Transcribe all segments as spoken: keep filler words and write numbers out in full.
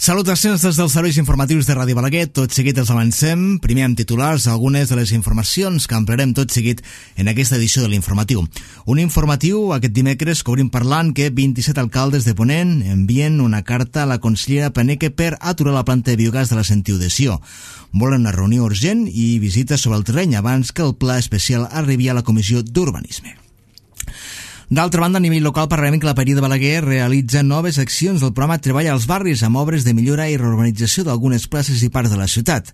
Salutacions des dels serveis informatius de Ràdio Balaguer. Tot seguit els avancem. Primer amb titulars algunes de les informacions que ampliarem tot seguit en aquesta edició de l'informatiu. Un informatiu aquest dimecres que obrim parlant que vint-i-set alcaldes de Ponent envien una carta a la consellera Paneque per aturar la planta de biogàs de la Sentiu de Sió. Volen una reunió urgent i visita sobre el terreny abans que el pla especial arribi a la Comissió d'Urbanisme. D'altra banda, a nivell local parlarem que la Paeria de Balaguer realitza noves accions del programa Treball als Barris amb obres de millora i reurbanització d'algunes places i parts de la ciutat.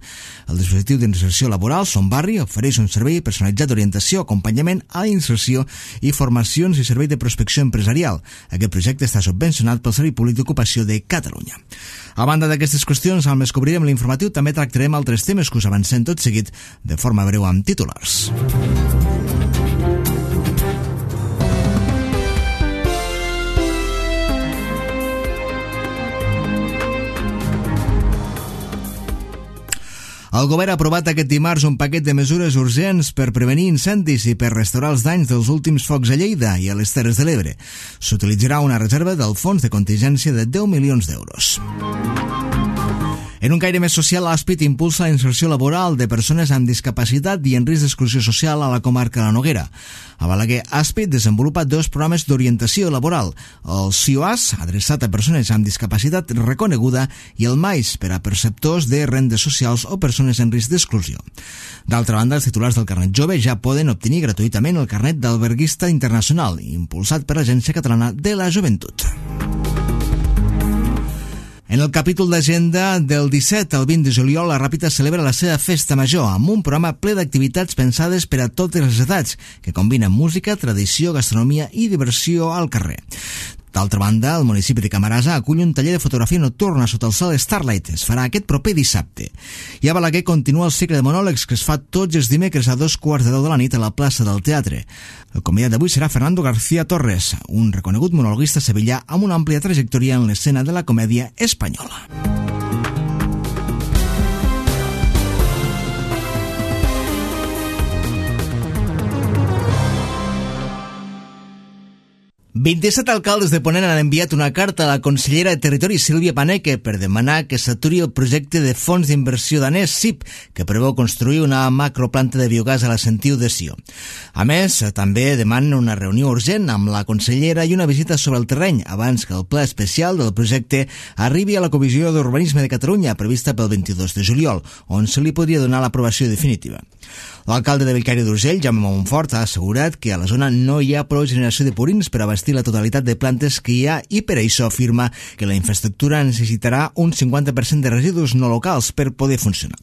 El dispositiu d'inserció laboral Son Barri ofereix un servei personalitzat d'orientació, acompanyament a la inserció i formacions i servei de prospecció empresarial. Aquest projecte està subvencionat pel Servei Públic d'Ocupació de Catalunya. A banda d'aquestes qüestions, al més que obrirem l'informatiu, també tractarem altres temes que us avancem tot seguit de forma breu amb titulars. El govern ha aprovat aquest dimarts un paquet de mesures urgents per prevenir incendis i per restaurar els danys dels últims focs a Lleida i a les Terres de l'Ebre. S'utilitzarà una reserva del fons de contingència de deu milions d'euros. En un caire més social, l'Aspit impulsa la inserció laboral de persones amb discapacitat i en risc d'exclusió social a la comarca de la Noguera. A Balaguer, Aspit desenvolupa dos programes d'orientació laboral, el C I O A S, adreçat a persones amb discapacitat reconeguda, i el M A I S, per a perceptors de rendes socials o persones en risc d'exclusió. D'altra banda, els titulars del carnet jove ja poden obtenir gratuïtament el carnet d'alberguista internacional, impulsat per l'Agència Catalana de la Joventut. En el capítol d'agenda del disset al vint de juliol, la Ràpita celebra la seva festa major amb un programa ple d'activitats pensades per a totes les edats, que combina música, tradició, gastronomia i diversió al carrer. D'altra banda, el municipi de Camarasa acull un taller de fotografia nocturna sota el cel Starlight. Es farà aquest proper dissabte. I a Balaguer continua el cicle de monòlegs que es fa tots els dimecres a dos quarts de deu de la nit a la plaça del Teatre. El convidat d'avui serà Fernando García Torres, un reconegut monologuista sevillà amb una àmplia trajectòria en l'escena de la comèdia espanyola. vint-i-set alcaldes de Ponent han enviat una carta a la consellera de Territori Sílvia Paneque per demanar que s'aturi el projecte de fons d'inversió danès S I P, que preveu construir una macroplanta de biogàs a la Sentiu de Sió. A més, també demanen una reunió urgent amb la consellera i una visita sobre el terreny abans que el pla especial del projecte arribi a la Comissió d'Urbanisme de Catalunya, prevista pel vint-i-dos de juliol, on se li podria donar l'aprovació definitiva. L'alcalde de Bellcaire d'Urgell, Jaume Montfort, ha assegurat que a la zona no hi ha prou generació de purins per abastir la totalitat de plantes que hi ha i per això afirma que la infraestructura necessitarà un cinquanta per cent de residus no locals per poder funcionar.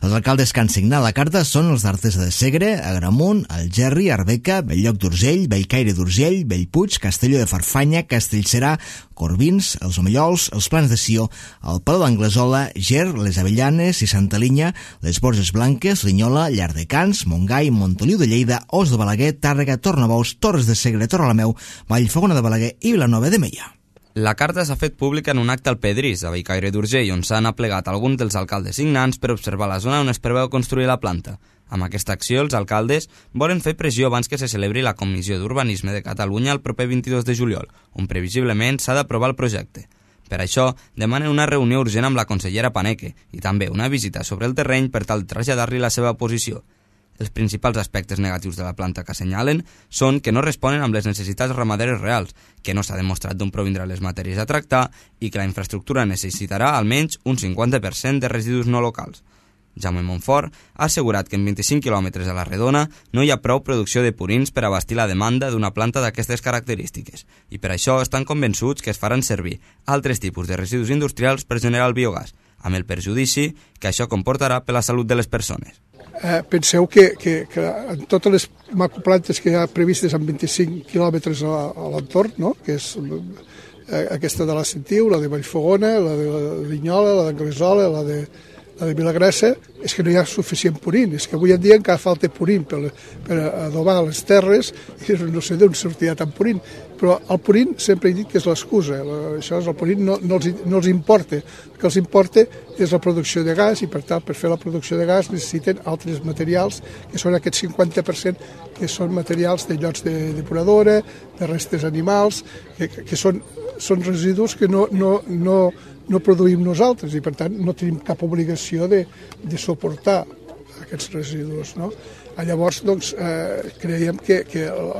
Els alcaldes que han signat la carta són els d'Artesa de Segre, Agramunt, Algerri, Arbeca, Belllloc d'Urgell, Bellcaire d'Urgell, Bellpuig, Castelló de Farfanya, Castellserà, Corbins, els Omellols, els Plans de Sió, el Palau d'Anglesola, Ger, les Avellanes i Santa Linya, les Borges Blanques, Linyola, Llardecans, Montgai, Montoliu de Lleida, Os de Balaguer, Tàrrega, Tornabous, Torres de Segre, Torrelameu, Vallfogona de Balaguer i Vilanova de Meià. La carta s'ha fet pública en un acte al Pedrís, a Bellcaire d'Urgell, on s'han aplegat alguns dels alcaldes signants per observar la zona on es preveu construir la planta. Amb aquesta acció, els alcaldes volen fer pressió abans que se celebri la Comissió d'Urbanisme de Catalunya el proper vint-i-dos de juliol, on previsiblement s'ha d'aprovar el projecte. Per això, demanen una reunió urgent amb la consellera Paneque i també una visita sobre el terreny per tal de traslladar-li la seva posició. Els principals aspectes negatius de la planta que assenyalen són que no responen amb les necessitats ramaderes reals, que no s'ha demostrat d'on provindrà les matèries a tractar i que la infraestructura necessitarà almenys un cinquanta per cent de residus no locals. Jaume Montfort ha assegurat que en vint-i-cinc quilòmetres a la redona no hi ha prou producció de purins per abastir la demanda d'una planta d'aquestes característiques i per això estan convençuts que es faran servir altres tipus de residus industrials per generar el biogàs, amb el perjudici que això comportarà per la salut de les persones. Eh, penseu que, que, que en totes les macroplantes que hi ha previstes en vint-i-cinc quilòmetres a, a l'entorn, no? Que és eh, aquesta de la Sentiu, la de Vallfogona, la de Linyola, la d'Anglesola, la de la de Vilagrassa, és que no hi ha suficient purín, és que avui en dia encara falta purín per, per adobar les terres i no sé d'on sortirà tant purín, però el purín sempre he dit que és l'excusa, això és el purín no, no, els, no els importa, el que els importa és la producció de gas i per tant per fer la producció de gas necessiten altres materials que són aquest cinquanta per cent que són materials de llots de depuradora, de restes animals, que, que són, són residus que no, no, no, no produïm nosaltres i per tant no tenim cap obligació de, de suportar aquests residus, no? Llavors, doncs, eh, creiem que, que la,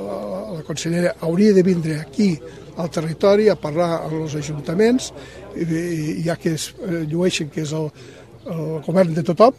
la consellera hauria de vindre aquí al territori a parlar amb els ajuntaments, i, i, ja que es eh, llueixen que és el, el govern de tothom,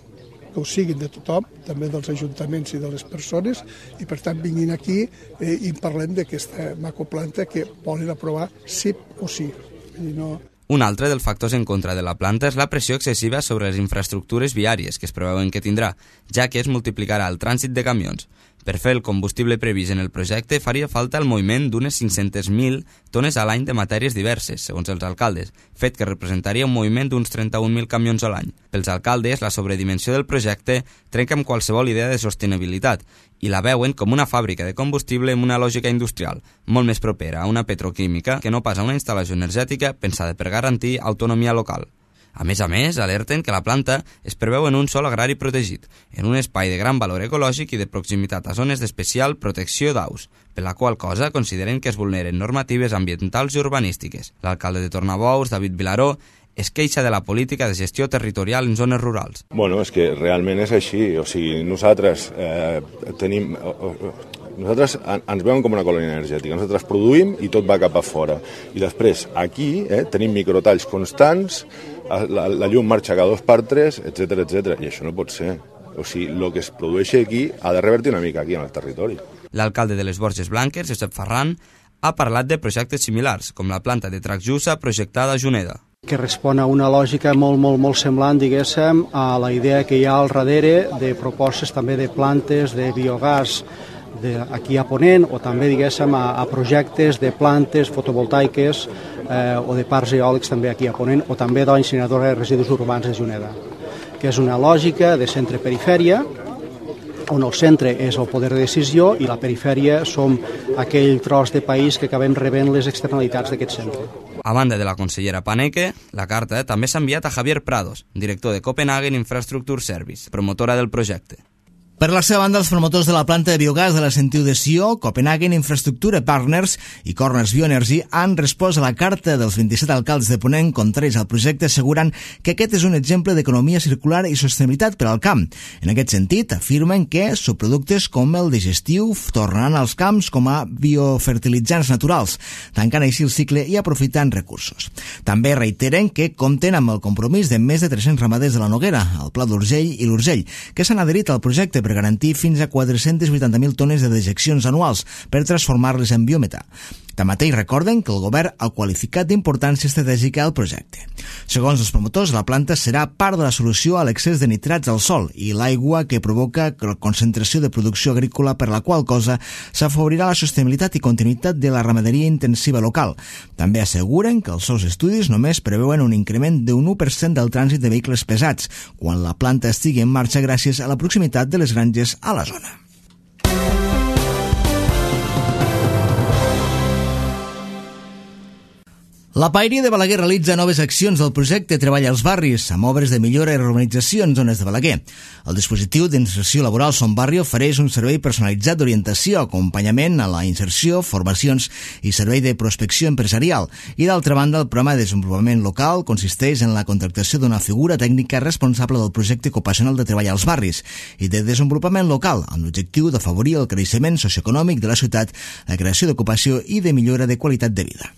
que ho siguin de tothom, també dels ajuntaments i de les persones, i per tant vinguin aquí eh, i parlem d'aquesta macroplanta que volen aprovar sí o sí. I no... Un altre dels factors en contra de la planta és la pressió excessiva sobre les infraestructures viàries que es preveuen que tindrà, ja que es multiplicarà el trànsit de camions. Per fer el combustible previst en el projecte faria falta el moviment d'unes cinc-centes mil tones a l'any de matèries diverses, segons els alcaldes, fet que representaria un moviment d'uns trenta-un mil camions a l'any. Pels alcaldes, la sobredimensió del projecte trenca amb qualsevol idea de sostenibilitat i la veuen com una fàbrica de combustible amb una lògica industrial, molt més propera a una petroquímica que no pas a una instal·lació energètica pensada per garantir autonomia local. A més a més, alerten que la planta es preveu en un sòl agrari protegit, en un espai de gran valor ecològic i de proximitat a zones d'especial protecció d'aus, per la qual cosa consideren que es vulneren normatives ambientals i urbanístiques. L'alcalde de Tornabous, David Vilaró, es queixa de la política de gestió territorial en zones rurals. Bueno, és que realment és així. O sigui, nosaltres eh, tenim... Nosaltres ens veuen com una colònia energètica. Nosaltres produïm i tot va cap a fora. I després, aquí, eh, tenim microtalls constants, la, la llum marxa cada dos per tres, etcètera, etcètera. I això no pot ser. O sigui, el que es produeix aquí ha de revertir una mica aquí en el territori. L'alcalde de les Borges Blanques, Josep Ferran, ha parlat de projectes similars, com la planta de Tracjusa projectada a Juneda, que respon a una lògica molt, molt, molt semblant, diguéssim, a la idea que hi ha al darrere de propostes també de plantes de biogàs de, aquí a Ponent, o també, diguéssim, a, a projectes de plantes fotovoltaiques eh, o de parcs eòlics també aquí a Ponent, o també de l'incineradora de residus urbans de Juneda, que és una lògica de centre-perifèria, on el centre és el poder de decisió i la perifèria som aquell tros de país que acabem rebent les externalitats d'aquest centre. A banda de la consellera Paneque, la carta també s'ha enviat a Javier Prados, director de Copenhagen Infrastructure Service, promotora del projecte. Per la seva banda, els promotors de la planta de biogàs de la Sentiu de Sió, Copenhagen Infrastructure Partners i Corners Bioenergy han respost a la carta dels vint-i-set alcaldes de Ponent contraris al projecte, assegurant que aquest és un exemple d'economia circular i sostenibilitat per al camp. En aquest sentit, afirmen que subproductes com el digestiu tornaran als camps com a biofertilitzants naturals, tancant així el cicle i aprofitant recursos. També reiteren que compten amb el compromís de més de tres-cents ramaders de la Noguera, el Pla d'Urgell i l'Urgell, que s'han adherit al projecte per per garantir fins a quatre-cents vuitanta mil tones de dejeccions anuals per transformar-les en biometà. Tanmateix recorden que el govern ha qualificat d'importància estratègica al projecte. Segons els promotors, la planta serà part de la solució a l'excés de nitrats al sòl i l'aigua que provoca la concentració de producció agrícola, per la qual cosa s'afavorirà la sostenibilitat i continuïtat de la ramaderia intensiva local. També asseguren que els seus estudis només preveuen un increment d'un u per cent del trànsit de vehicles pesats quan la planta estigui en marxa gràcies a la proximitat de les granges a la zona. La Paeria de Balaguer realitza noves accions del projecte Treballa als Barris, amb obres de millora i urbanització en zones de Balaguer. El dispositiu d'inserció laboral Son Barri ofereix un servei personalitzat d'orientació, acompanyament a la inserció, formacions i servei de prospecció empresarial. I d'altra banda, el programa de desenvolupament local consisteix en la contractació d'una figura tècnica responsable del projecte ocupacional de Treballa als Barris i de desenvolupament local, amb l'objectiu d'afavorir el creixement socioeconòmic de la ciutat, la creació d'ocupació i de millora de qualitat de vida.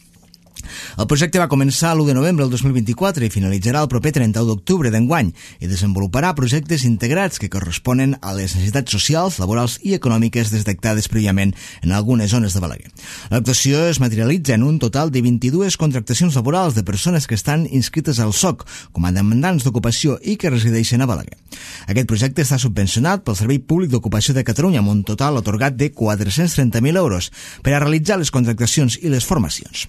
El projecte va començar l'u de novembre del dos mil vint-i-quatre i finalitzarà el proper trenta-u d'octubre d'enguany i desenvoluparà projectes integrats que corresponen a les necessitats socials, laborals i econòmiques detectades prèviament en algunes zones de Balaguer. L'actuació es materialitza en un total de vint-i-dues contractacions laborals de persones que estan inscrites al S O C com a demandants d'ocupació i que resideixen a Balaguer. Aquest projecte està subvencionat pel Servei Públic d'Ocupació de Catalunya amb un total atorgat de quatre-cents trenta mil euros per a realitzar les contractacions i les formacions.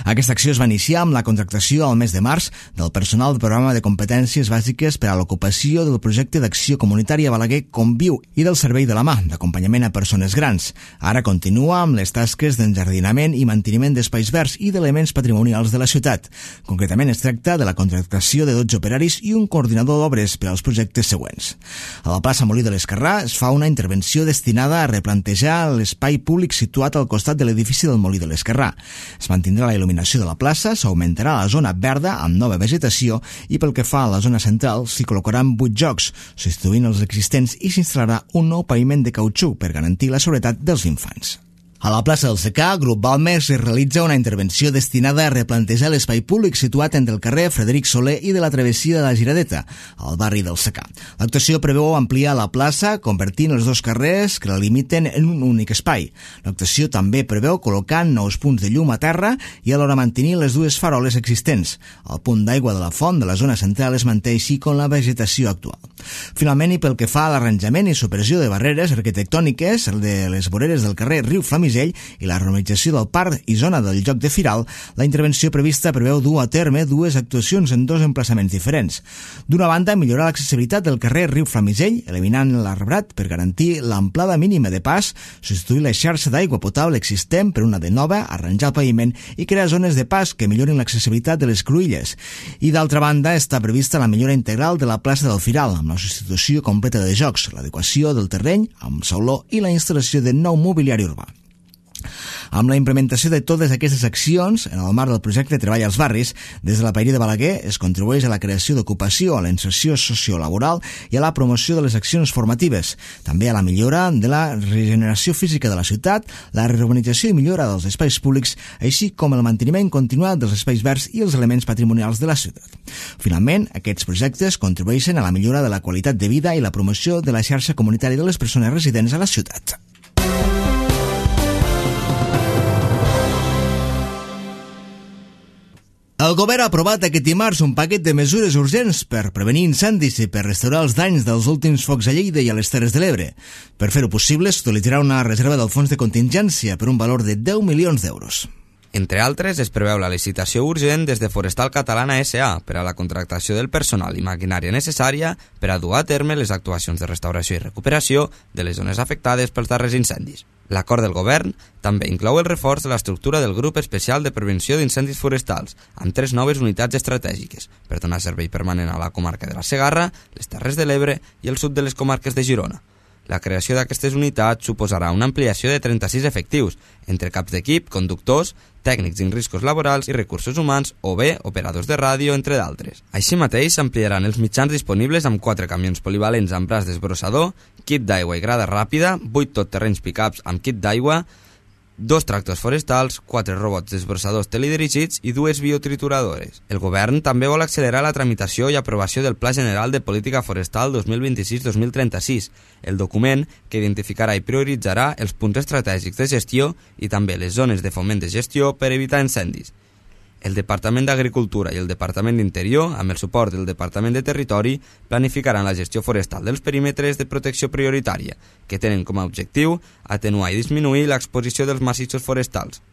Aquesta acció es va iniciar amb la contractació al mes de març del personal del programa de competències bàsiques per a l'ocupació del projecte d'acció comunitària Balaguer Conviu i del servei de la mà d'acompanyament a persones grans. Ara continua amb les tasques d'enjardinament i manteniment d'espais verds i d'elements patrimonials de la ciutat. Concretament es tracta de la contractació de dotze operaris i un coordinador d'obres per als projectes següents. A la plaça Molí de l'Esquerrà es fa una intervenció destinada a replantejar l'espai públic situat al costat de l'edifici del Molí de l'Esquerrà. Es mantindrà la il·luminació de la plaça, s'augmentarà la zona verda amb nova vegetació i pel que fa a la zona central s'hi col·locaran vuit jocs, substituint els existents, i s'instal·larà un nou paviment de cautxú per garantir la seguretat dels infants. A la plaça del Secà, Grup Balmes es realitza una intervenció destinada a replantejar l'espai públic situat entre el carrer Frederic Soler i de la travessia de la Giradeta, al barri del Secà. L'actuació preveu ampliar la plaça, convertint els dos carrers que la limiten en un únic espai. L'actuació també preveu col·locar nous punts de llum a terra i alhora mantenir les dues faroles existents. El punt d'aigua de la font de la zona central es manté així com la vegetació actual. Finalment, i pel que fa a l'arranjament i supressió de barreres arquitectòniques de les voreres del carrer Riu Flamisell i la renovació del parc i zona del Joc de Firal, la intervenció prevista preveu dur a terme dues actuacions en dos emplaçaments diferents. D'una banda, millorar l'accessibilitat del carrer Riu Flamisell, eliminant l'arbrat per garantir l'amplada mínima de pas, substituir la xarxa d'aigua potable existent per una de nova, arranjar el paviment i crear zones de pas que millorin l'accessibilitat de les cruïlles. I d'altra banda, està prevista la millora integral de la plaça del Firal, amb la substitució completa de jocs, l'adequació del terreny amb sauló i la instal·lació de nou mobiliari urbà. Amb la implementació de totes aquestes accions, en el marc del projecte Treball als Barris, des de la Paeria de Balaguer es contribueix a la creació d'ocupació, a la inserció sociolaboral i a la promoció de les accions formatives, també a la millora de la regeneració física de la ciutat, la reurbanització i millora dels espais públics, així com el manteniment continuat dels espais verds i els elements patrimonials de la ciutat. Finalment, aquests projectes contribueixen a la millora de la qualitat de vida i la promoció de la xarxa comunitària de les persones residents a la ciutat. El govern ha aprovat aquest dimarts un paquet de mesures urgents per prevenir incendis i per restaurar els danys dels últims focs a Lleida i a les Terres de l'Ebre. Per fer-ho possible, s'utilitzarà una reserva del fons de contingència per un valor de deu milions d'euros. Entre altres, es preveu la licitació urgent des de Forestal Catalana S A per a la contractació del personal i maquinària necessària per a dur a terme les actuacions de restauració i recuperació de les zones afectades pels darrers incendis. L'acord del govern també inclou el reforç de l'estructura del Grup Especial de Prevenció d'Incendis Forestals, amb tres noves unitats estratègiques, per donar servei permanent a la comarca de la Segarra, les Terres de l'Ebre i el sud de les comarques de Girona. La creació d'aquestes unitats suposarà una ampliació de trenta-sis efectius, entre caps d'equip, conductors, tècnics en riscos laborals i recursos humans o bé operadors de ràdio, entre d'altres. Així mateix, s'ampliaran els mitjans disponibles amb quatre camions polivalents amb braç desbrossador, kit d'aigua i grada ràpida, vuit totterrenys pick-ups amb kit d'aigua, dos tractors forestals, quatre robots desbrossadors teledirigits i dues biotrituradores. El govern també vol accelerar la tramitació i aprovació del Pla General de Política Forestal dos mil vint-i-sis dos mil trenta-sis, el document que identificarà i prioritzarà els punts estratègics de gestió i també les zones de foment de gestió per evitar incendis. El Departament d'Agricultura i el Departament d'Interior, amb el suport del Departament de Territori, planificaran la gestió forestal dels perímetres de protecció prioritària, que tenen com a objectiu atenuar i disminuir l'exposició dels massissos forestals.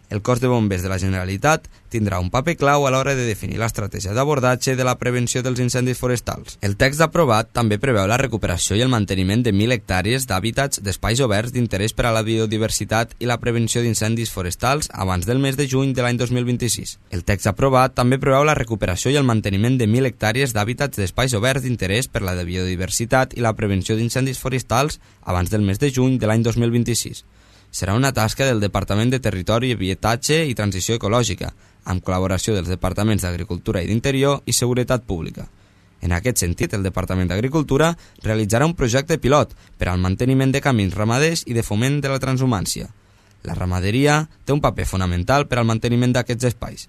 El cos de bombers de la Generalitat tindrà un paper clau a l'hora de definir l'estratègia d'abordatge de la prevenció dels incendis forestals. El text aprovat també preveu la recuperació i el manteniment de mil hectàrees d'hàbitats d'espais oberts d'interès per a la biodiversitat i la prevenció d'incendis forestals abans del mes de juny de l'any dos mil vint-i-sis. El text aprovat també preveu la recuperació i el manteniment de mil hectàrees d'hàbitats d'espais oberts d'interès per a la biodiversitat i la prevenció d'incendis forestals abans del mes de juny de l'any dos mil vint-i-sis. Serà una tasca del Departament de Territori, Habitatge i Transició Ecològica, amb col·laboració dels Departaments d'Agricultura i d'Interior i Seguretat Pública. En aquest sentit, el Departament d'Agricultura realitzarà un projecte pilot per al manteniment de camins ramaders i de foment de la transhumància. La ramaderia té un paper fonamental per al manteniment d'aquests espais.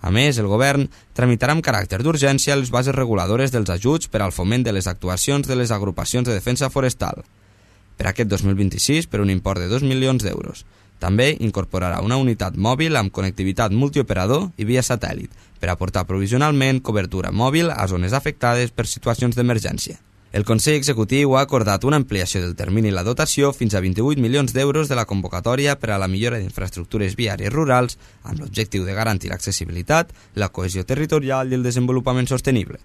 A més, el govern tramitarà amb caràcter d'urgència les bases reguladores dels ajuts per al foment de les actuacions de les agrupacions de defensa forestal. Per aquest dos mil vint-i-sis, per un import de dos milions d'euros. També incorporarà una unitat mòbil amb connectivitat multioperador i via satèl·lit per aportar provisionalment cobertura mòbil a zones afectades per situacions d'emergència. El Consell Executiu ha acordat una ampliació del termini i la dotació fins a vint-i-vuit milions d'euros de la convocatòria per a la millora d'infraestructures viàries rurals amb l'objectiu de garantir l'accessibilitat, la cohesió territorial i el desenvolupament sostenible.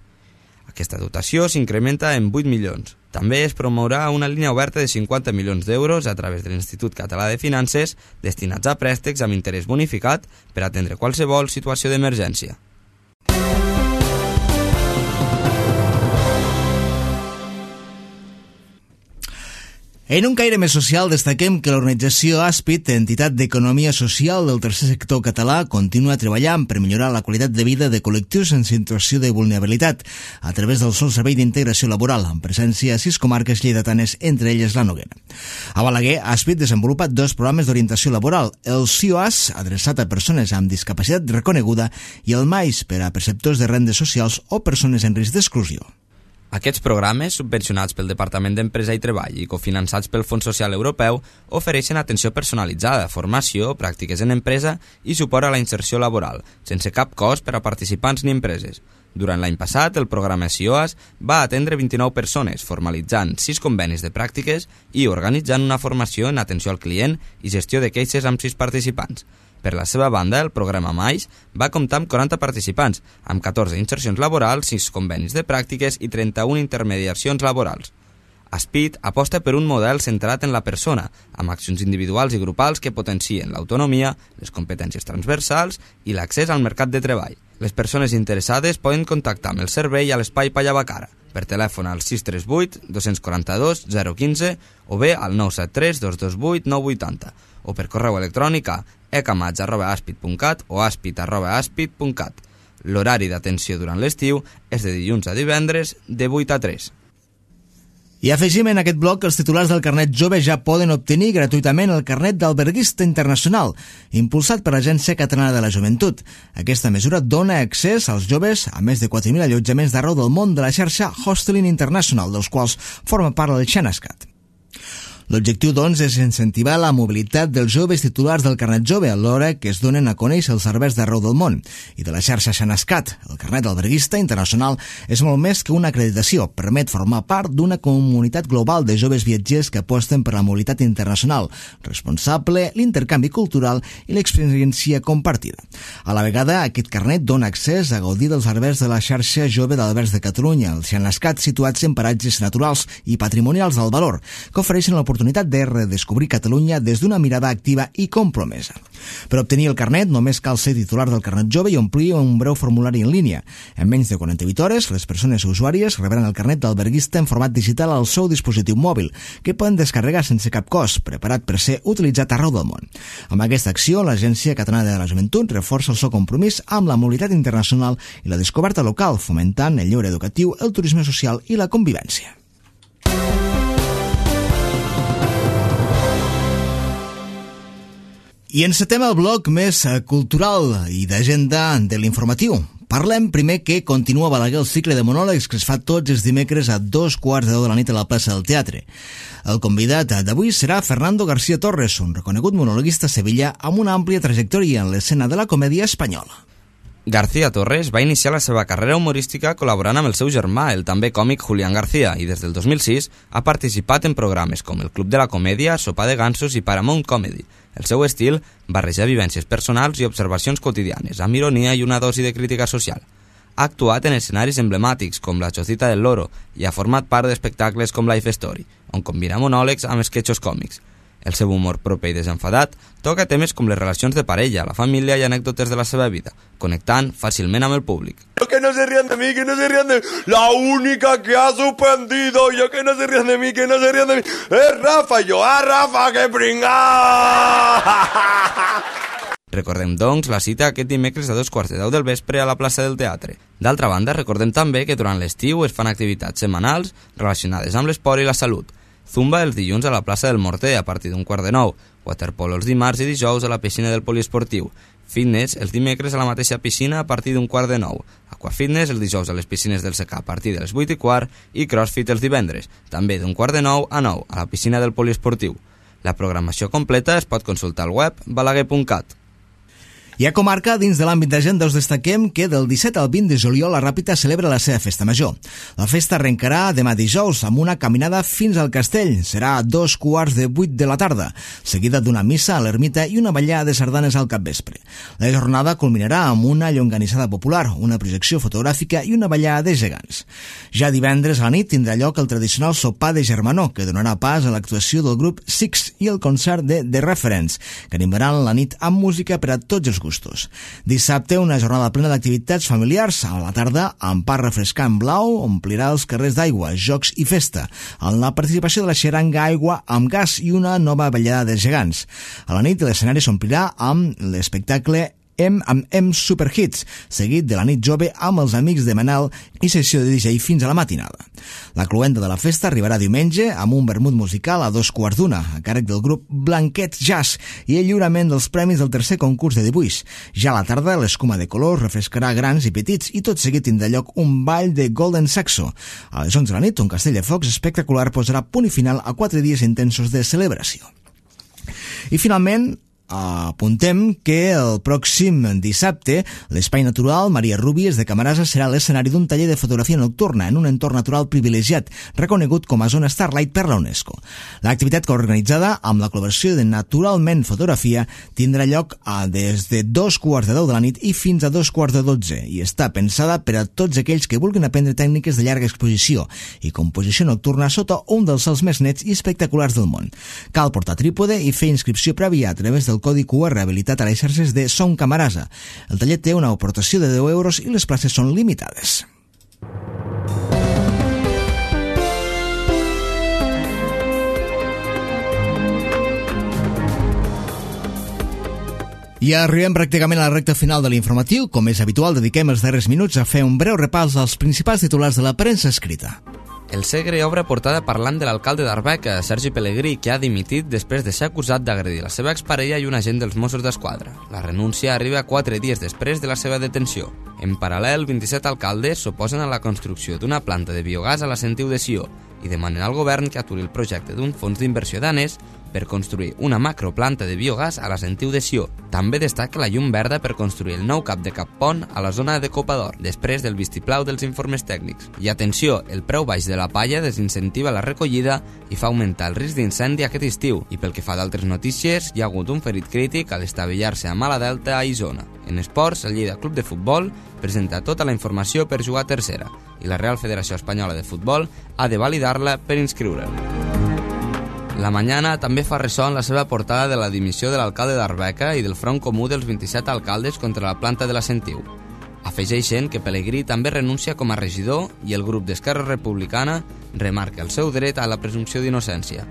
Aquesta dotació s'incrementa en vuit milions. També es promourà una línia oberta de cinquanta milions d'euros a través de l'Institut Català de Finances destinats a préstecs amb interès bonificat per atendre qualsevol situació d'emergència. En un caire més social, destaquem que l'organització Aspit, entitat d'economia social del tercer sector català, continua treballant per millorar la qualitat de vida de col·lectius en situació de vulnerabilitat a través del sol servei d'integració laboral, amb presència a sis comarques lleidatanes, entre elles la Noguera. A Balaguer, Aspit desenvolupa dos programes d'orientació laboral, el C I O A S, adreçat a persones amb discapacitat reconeguda, i el M A I S, per a perceptors de rendes socials o persones en risc d'exclusió. Aquests programes, subvencionats pel Departament d'Empresa i Treball i cofinançats pel Fons Social Europeu, ofereixen atenció personalitzada, formació, pràctiques en empresa i suport a la inserció laboral, sense cap cost per a participants ni empreses. Durant l'any passat, el programa C I O A S va atendre vint-i-nou persones, formalitzant sis convenis de pràctiques i organitzant una formació en atenció al client i gestió de queixes amb sis participants. Per la seva banda, el programa M A I S va comptar amb quaranta participants, amb catorze insercions laborals, sis convenis de pràctiques i trenta-una intermediacions laborals. Aspit aposta per un model centrat en la persona, amb accions individuals i grupals que potencien l'autonomia, les competències transversals i l'accés al mercat de treball. Les persones interessades poden contactar amb el servei a l'Espai Pallavacara, per telèfon al sis tres vuit, dos quatre dos, zero un cinc o bé al nou set tres, dos dos vuit, nou vuit zero o per correu electrònic a ecamats arroba aspit punt cat o aspit arroba aspit punt cat. L'horari d'atenció durant l'estiu és de dilluns a divendres de vuit a tres. I afegim en aquest bloc que els titulars del carnet jove ja poden obtenir gratuïtament el carnet d'alberguista internacional, impulsat per l'Agència Catalana de la Joventut. Aquesta mesura dona accés als joves a més de quatre mil allotjaments d'arreu del món de la xarxa Hosteling International, dels quals forma part el Xenascat. L'objectiu, doncs, és incentivar la mobilitat dels joves titulars del carnet jove alhora que es donen a conèixer els serveis d'arreu del món. I de la xarxa Xenascat, el carnet d'alberguista internacional és molt més que una acreditació. Permet formar part d'una comunitat global de joves viatgers que aposten per la mobilitat internacional, responsable, l'intercanvi cultural i l'experiència compartida. A la vegada, aquest carnet dona accés a gaudir dels serveis de la xarxa jove d'albergs de Catalunya, el Xenascat, situats en paratges naturals i patrimonials del valor, que ofereixen l'oportunitat de redescobrir Catalunya des d'una mirada activa i compromesa. Per obtenir el carnet només cal ser titular del carnet jove i omplir un breu formulari en línia. En menys de quaranta-vuit hores, les persones usuàries rebran el carnet d'alberguista en format digital al seu dispositiu mòbil, que poden descarregar sense cap cost, preparat per ser utilitzat arreu del món. Amb aquesta acció, l'Agència Catalana de la Joventut reforça el seu compromís amb la mobilitat internacional i la descoberta local, fomentant el lleure educatiu, el turisme social i la convivència. I encetem el bloc més cultural i d'agenda de l'informatiu. Parlem primer que continua a Balaguer el cicle de monòlegs que es fa tots els dimecres a dos quarts de deu de la nit a la plaça del Teatre. El convidat d'avui serà Fernando García Torres, un reconegut monologuista sevillà amb una àmplia trajectòria en l'escena de la comèdia espanyola. García Torres va iniciar la seva carrera humorística col·laborant amb el seu germà, el també còmic Julián García, i des del dos mil sis ha participat en programes com el Club de la Comèdia, Sopa de Gansos i Paramount Comedy. El seu estil barreja vivències personals i observacions quotidianes, amb ironia i una dosi de crítica social. Ha actuat en escenaris emblemàtics com La Chocita del Loro i ha format part d'espectacles com Life Story, on combina monòlegs amb esquetxos còmics. El seu humor proper i desenfadat toca temes com les relacions de parella, la família i anècdotes de la seva vida, connectant fàcilment amb el públic. Que no se rían de mí, que no se rían de mí. La única que ha suspendido, yo que no se rían de mí, que no se rían de mí, es Rafa. Y yo, ¡ah, Rafa, qué pringao! Recordem, doncs, la cita aquest dimecres a dos quarts de deu del vespre a la plaça del Teatre. D'altra banda, recordem també que durant l'estiu es fan activitats setmanals relacionades amb l'esport i la salut. Zumba els dilluns a la plaça del Morter a partir d'un quart de nou, waterpolo els dimarts i dijous a la piscina del poliesportiu, fitness els dimecres a la mateixa piscina a partir d'un quart de nou, aquafitness els dijous a les piscines del secà a partir de les vuit i quart i crossfit els divendres, també d'un quart de nou a nou a la piscina del poliesportiu. La programació completa es pot consultar al web balaguer punt cat. I a comarca, dins de l'àmbit d'agenda, us destaquem que del disset al vint de juliol la Ràpita celebra la seva festa major. La festa arrencarà demà dijous amb una caminada fins al castell. Serà a dos quarts de vuit de la tarda, seguida d'una missa a l'ermita i una ballada de sardanes al capvespre. La jornada culminarà amb una llonganissada popular, una projecció fotogràfica i una ballada de gegants. Ja divendres a la nit tindrà lloc el tradicional sopar de germanor, que donarà pas a l'actuació del grup Six i el concert de The Reference, que animaran la nit amb música per a tots els gustos. Dissabte, una jornada plena d'activitats familiars. A la tarda, amb pa refrescant blau, omplirà els carrers d'aigua, jocs i festa, amb la participació de la xeranga Aigua amb gas i una nova ballada de gegants. A la nit, l'escenari s'omplirà amb l'espectacle M amb M Superhits, seguit de la nit jove amb els amics de Manel i sessió de D J fins a la matinada. La cloenda de la festa arribarà diumenge amb un vermut musical a dos quarts d'una, a càrrec del grup Blanquet Jazz i el lliurament dels premis del tercer concurs de dibuix. Ja a la tarda, l'escuma de colors refrescarà grans i petits i tot seguit tindrà lloc un ball de Golden Saxo. A les onze de la nit, un castell de focs espectacular posarà punt i final a quatre dies intensos de celebració. I finalment, apuntem que el pròxim dissabte l'Espai Natural Maria Rúbies de Camarasa serà l'escenari d'un taller de fotografia nocturna en un entorn natural privilegiat, reconegut com a zona Starlight per la UNESCO. L'activitat organitzada amb la col·laboració de Naturalment Fotografia tindrà lloc a des de dos quarts de deu de la nit i fins a dos quarts de dotze i està pensada per a tots aquells que vulguin aprendre tècniques de llarga exposició i composició nocturna sota un dels cels més nets i espectaculars del món. Cal portar trípode i fer inscripció prèvia a través del codi Q R habilitat a les xarxes de Som Camarasa. El taller té una aportació de deu euros i les places són limitades. I arribem pràcticament a la recta final de l'informatiu. Com és habitual, dediquem els darrers minuts a fer un breu repàs dels principals titulars de la premsa escrita. El Segre obre portada parlant de l'alcalde d'Arbeca, Sergi Pellegrí, que ha dimitit després de ser acusat d'agredir la seva exparella i un agent dels Mossos d'Esquadra. La renúncia arriba quatre dies després de la seva detenció. En paral·lel, vint-i-set alcaldes s'oposen a la construcció d'una planta de biogàs a la Sentiu de Sió i demanen al govern que aturi el projecte d'un fons d'inversió danès per construir una macroplanta de biogàs a la Sentiu de Sió. També destaca la llum verda per construir el nou cap de Cappont a la zona de Copador, després del vistiplau dels informes tècnics. I atenció, el preu baix de la palla desincentiva la recollida i fa augmentar el risc d'incendi aquest estiu. I pel que fa d'altres notícies, hi ha hagut un ferit crític a l'estavellar-se a Mala Delta a Isona. En esports, el Lleida Club de Futbol presenta tota la informació per jugar a tercera i la Real Federació Espanyola de Futbol ha de validar-la per inscriure'l. La Mañana també fa ressò en la seva portada de la dimissió de l'alcalde d'Arbeca i del front comú dels vint-i-set alcaldes contra la planta de la Sentiu. Afegeixen que Pellegrí també renuncia com a regidor i el grup d'Esquerra Republicana remarca el seu dret a la presumpció d'innocència.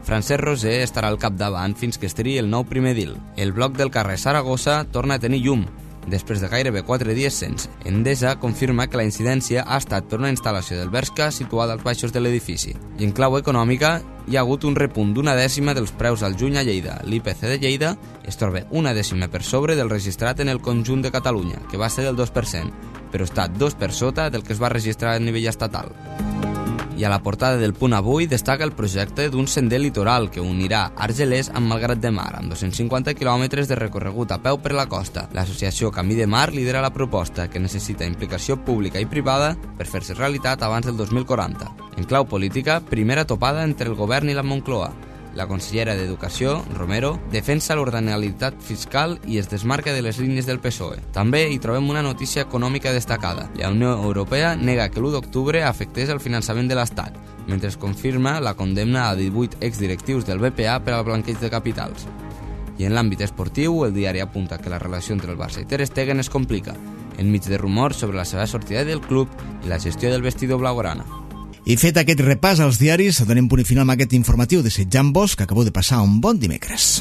Francesc Roser estarà al capdavant fins que es triï el nou primer edil. El bloc del carrer Saragossa torna a tenir llum, després de gairebé quatre dies sense. Endesa confirma que la incidència ha estat per una instal·lació del Bershka situada als baixos de l'edifici. I en clau econòmica, hi ha hagut un repunt d'una dècima dels preus al juny a Lleida. L'I P C de Lleida es troba una dècima per sobre del registrat en el conjunt de Catalunya, que va ser del dos per cent, però està dos per sota del que es va registrar a nivell estatal. I a la portada del Punt Avui destaca el projecte d'un sender litoral que unirà Argelers amb Malgrat de Mar, amb dos-cents cinquanta quilòmetres de recorregut a peu per la costa. L'associació Camí de Mar lidera la proposta, que necessita implicació pública i privada per fer-se realitat abans del dos mil quaranta. En clau política, primera topada entre el govern i la Moncloa. La consellera d'Educació, Romero, defensa l'ordinalitat fiscal i es desmarca de les línies del P S O E. També hi trobem una notícia econòmica destacada. La Unió Europea nega que l'u d'octubre afectés el finançament de l'Estat, mentre es confirma la condemna a divuit exdirectius del B P A per al blanqueig de capitals. I en l'àmbit esportiu, el diari apunta que la relació entre el Barça i Ter Stegen es complica, enmig de rumors sobre la seva sortida del club i la gestió del vestidor blaugrana. I fet aquest repàs als diaris, donem punt i final amb aquest informatiu desitjant-vos que acabeu de passar un bon dimecres.